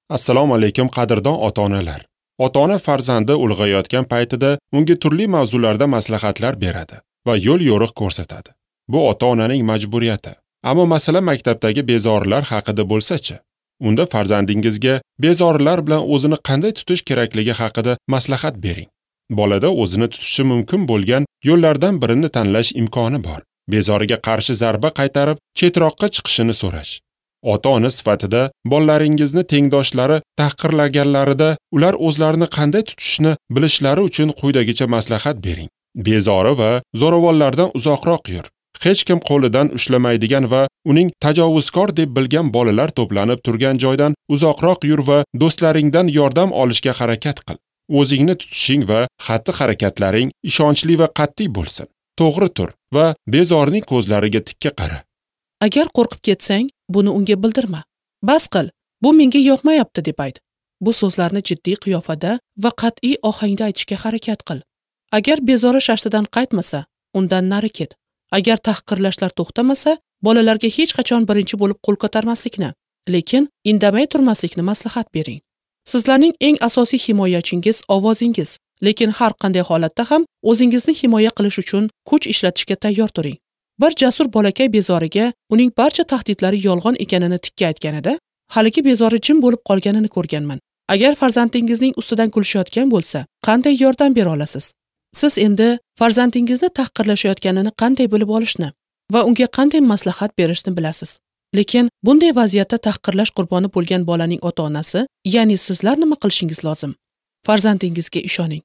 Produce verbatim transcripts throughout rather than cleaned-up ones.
Assalomu alaykum qadrdon ota-onalar. Ota-ona farzandi ulg'ayotgan paytida unga turli mavzularda maslahatlar beradi va yo'l-yo'riq ko'rsatadi. Bu ota-onaning majburiyati. Ammo masala maktabdagi bezorilar haqida bo'lsa-chi? Unda farzandingizga bezorilar bilan o'zini qanday tutish kerakligi haqida maslahat bering. Bolada o'zini tutishi mumkin bo'lgan yo'llardan birini tanlash imkoni bor. Bezoriga qarshi zarba qaytarib, chetroqqa chiqishini so'rash. Ota-ona sifatida bolalaringizni tengdoshlari tahqirlaganlarida ular o'zlarini qanday tutishni bilishlari uchun quyidagicha maslahat bering. Bezori va zo'ravonlardan uzoqroq yur. Hech kim qo'lidan ushlamaydigan va uning tajovuzkor deb bilgan bolalar to'planib turgan joydan uzoqroq yur va do'stlaringdan yordam olishga harakat qil. O'zingni tutishing va xatti-harakatlaring ishonchli va qat'iy bo'lsin. To'g'ri tur va bezorining ko'zlariga tikka qara. Agar qo'rqib ketsang, buni unga bildirma. Bas qil, bu menga yoqmayapti deb ayt. Bu so'zlarni jiddiy qiyofada va qat'iy ohangda aytishga harakat qil. Agar bezori shashtidan qaytmasa, undan nari ket. Agar tahqirlashlar to'xtamasa, bolalarga hech qachon birinchi bo'lib qo'l ko'tarmaslikni, lekin indamay turmaslikni maslahat bering. Sizlarning eng asosiy himoyachingiz ovozingiz, lekin har qanday holatda ham o'zingizni himoya qilish uchun kuch ishlatishga tayyor turing. Bir jasur bolakay bezoriga uning barcha tahdidlari yolg'on ekanini tikka aytganida, haligi bezori jim bo'lib qolganini ko'rganman. Agar farzandingizning ustidan kulishayotgan bo'lsa, qanday yordam bera olasiz? Siz endi farzandingizni tahqirlashayotganini qanday bilib olishni va unga qanday maslahat berishni bilasiz. Lekin bunday vaziyatda tahqirlash qurboni bo'lgan bolaning ota-onasi, ya'ni sizlar nima qilishingiz lozim? Farzandingizga ishoning.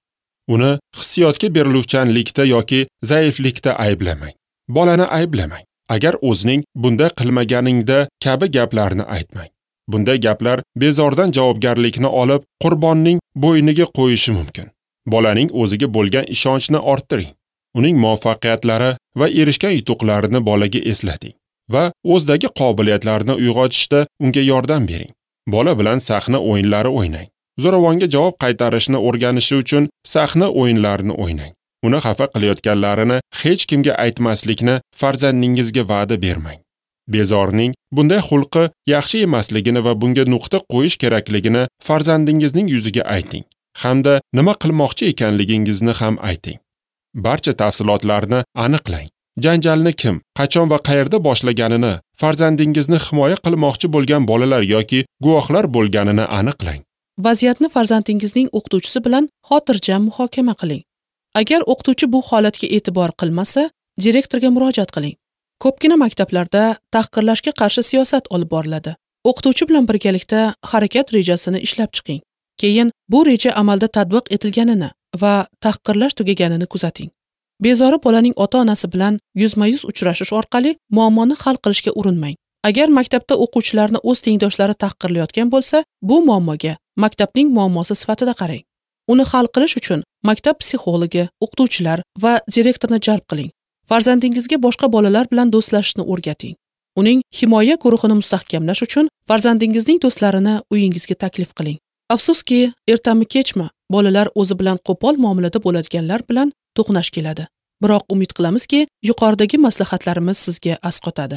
Uni hissiyotga beriluvchanlikda yoki zaiflikda ayblamang. Bolani ayblamang. Agar o'zining bunday qilmaganingda kabi gaplarni aytmang. Bunday gaplar bezordan javobgarlikni olib, qurbonning bo'yniga qo'yishi mumkin. Bolaning o'ziga bo'lgan ishonchni orttiring. Uning muvaffaqiyatlari va erishgan yutuqlarini bolaga eslating va o'zidagi qobiliyatlarini uyg'otishda unga yordam bering. Bola bilan sahna o'yinlari o'ynang. Zo'ravonga javob qaytarishni o'rganishi uchun sahna o'yinlarini o'ynang. Uni xafa qilayotganlarini hech kimga aytmaslikni farzandingizga va'da bermang. Bezorning bunday xulqi yaxshi emasligini va bunga nuqta qo'yish kerakligini farzandingizning yuziga ayting hamda nima qilmoqchi ekanligingizni ham ayting. Barcha tafsilotlarni aniqlang. Janjalni kim, qachon va qayerda boshlaganini, farzandingizni himoya qilmoqchi bo'lgan bolalar yoki guvohlar bo'lganini aniqlang. Vaziyatni farzandingizning o'qituvchisi bilan xotirjam muhokama qiling. Agar o'qituvchi bu holatga e'tibor qilmasa, direktorga murojaat qiling. Ko'pgina maktablarda tahqirlashga qarshi siyosat olib boriladi. O'qituvchi bilan birgalikda harakat rejasini ishlab chiqing. Keyin bu reja amalda tatbiq etilganini va tahqirlash tugaganini kuzating. Bezori bolaning ota-onasi bilan yuzma-yuz uchrashish orqali muammoni hal qilishga urinmang. Agar maktabda o'quvchilarni o'z tengdoshlari tahqirlayotgan bo'lsa, bu muammoga maktabning muammosi sifatida qarang. Uni hal qilish uchun maktab psixologi, o'qituvchilar va direktorni jalb qiling. Farzandingizga boshqa bolalar bilan do'stlashishni o'rgating. Uning himoya guruhini mustahkamlash uchun farzandingizning do'stlarini uyingizga taklif qiling. Afsuski, ertami kechmi bolalar o'zi bilan qo'pol muomalada bo'ladiganlar bilan to'qnash keladi. Biroq umid qilamizki, yuqoridagi maslahatlarimiz sizga asqotadi.